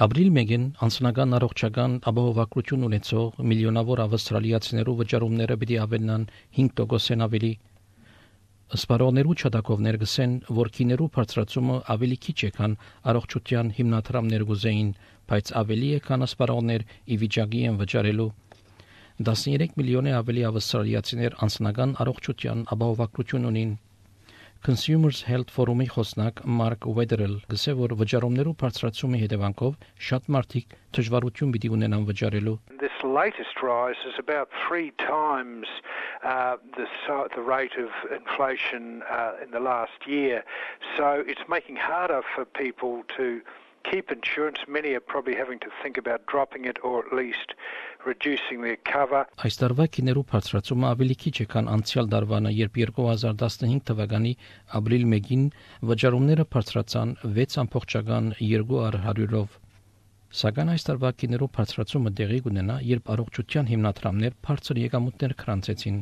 Ապրիլ 1-ին անձնական առողջական ապահովագրություն ունեցող միլիոնավոր ավստրալիացիներու վճարումները պիտի ավելնան 5%-ն ավելի։ Սպառողներու չդակով ներգսեն, որ քիներու բարձրացումը ավելի քիչ է, քան առողջության հիմնադրամներ գուզեին, բայց ավելի է, քան սպառողներ ի վիճակի են վճարելու։ 13 միլիոն ավելի ավստրալիացիներ անձնական առողջության ապահովագրություն ունին։ Consumers Health Forum-ի խոսնակ Մարկ Ուեդերել գսե որ վճարումներու բարձրացումի հետևանքով շատ մարդիկ դժվարություն պիտի ունենան վճարելու։ This latest rise is about 3 times the rate of inflation in the last year. So it's making harder for people to keep insurance. Many are probably having to think about dropping it or at least reducing their cover. Այս տարվա քիներու բարձրացումը ավելի քիչ է, քան անցյալ տարվանը, երբ 2015 թվականի ապրիլ 1-ին վճարումները բարձրացան 6.2%-ով։ Սակայն այս տարվա քիներու բարձրացումը տեղի կունենա, երբ առողջության հիմնադրամներ բարձր եկամուտներ գրանցեցին։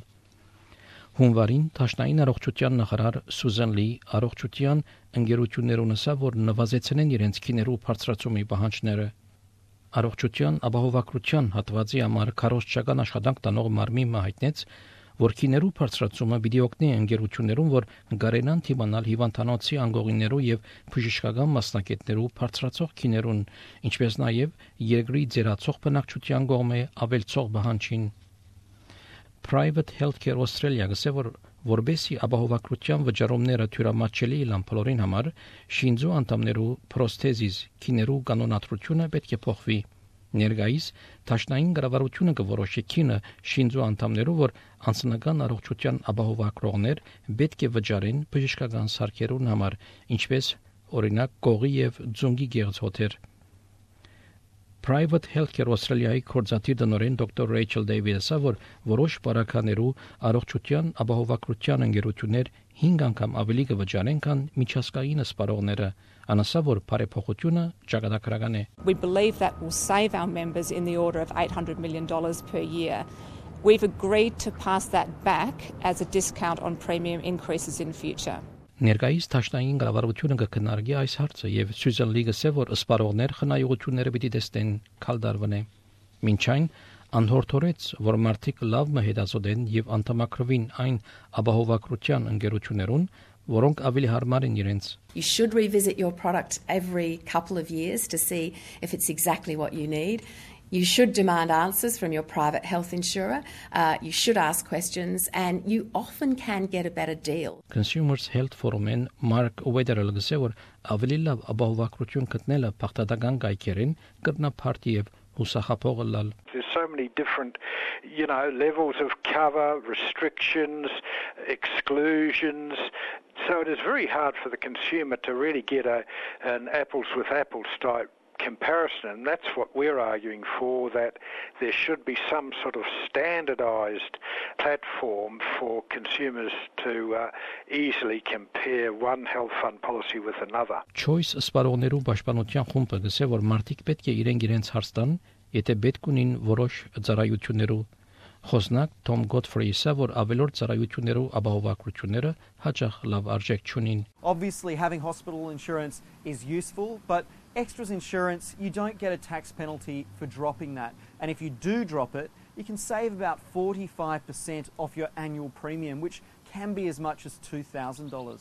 Հունվարին Դաշնային առողջության նախարար Սուզան Լի առողջության ընկերություններուն ասավ, որ նվազեցնեն իրենց քիներու բարձրացումի պահանջները։ Առողջության ապահովագրության հատվածի համար քարոզչական աշխատանք տանող մարմինը հայտնեց, որ քիներու բարձրացումը պիտի օգնի ընկերություններուն, որ գարենան թիմանալ հիվանդանոցի անգողիներու եւ բժշկական մասնակիցներու բարձրացող քիներուն, ինչպես նաեւ երկրի ձերացող բնակչության կողմէ ավելցող պահանջին։ Private Healthcare Australia գսե որ որբեսի ապահովագրության վճարումները թյուրամատչելի լան բոլորին համար շինձու անդամներու պրոստեզիս քիներու կանոնադրությունը պետք է փոխվի։ Ներգայիս Դաշնային կառավարությունը կորոշի քինը շինձու անդամներու, որ անձնական առողջության ապահովագրողներ պետք է վճարեն բժշկական սարքերուն համար, ինչպես օրինակ կողի եւ ձունգի գեղձոթեր։ Private Healthcare Australia-ի կորզատիր տնօրեն դոկտոր Ռեյչել Դեյվիսը որ որոշ բարականերու առողջության ապահովագրության ընկերություններ 5 անգամ ավելի կվճարեն, քան միջազգային սպառողները, անասա որ բարեփոխությունը ճակատագրական է։ We believe that will save our members in the order of $800 million per year. We've agreed to pass that back as a discount on premium increases in future. Ներկայիս Դաշնային կառավարությունը կքննարկի այս հարցը եւ Սյուզան Լի գսե որ սպառողներ խնայողությունները պիտի տեսնեն քալդարվնե։ Մինչ այն անհորթորեց, որ մարդիկ լավ մհետազոտեն եւ անդամակրվին այն ապահովագրության ընկերություններուն, որոնք ավելի հարմար են իրենց։ You should revisit your product every couple of years to see if it's exactly what you need. You should demand answers from your private health insurer. You should ask questions, and you often can get a better deal. Consumers Health Forum-ին Mark Wetherell գսե որ ավելի լավ ապահովագրություն գտնելը փախտական գայքերին կրնապարտի եւ հուսախապող լալ։ There's so many different, levels of cover, restrictions, exclusions. So it is very hard for the consumer to really get an apples with apples type comparison, and that's what we're arguing for, that there should be some sort of standardized platform for consumers to easily compare one health fund policy with another. Choice սպառողներու պաշտպանության խումբը գսե որ մարդիկ պետք է իրենց հարց տան, եթե պետք ունին որոշ ծառայություններու։ Խոսնակ Tom Godfrey-ը որ ավելորդ ծառայություններու ապահովագրությունները հաճախ լավ արժեք չունին։ Obviously having hospital insurance is useful, but extras insurance, you don't get a tax penalty for dropping that. And if you do drop it, you can save about 45% off your annual premium, which can be as much as $2,000.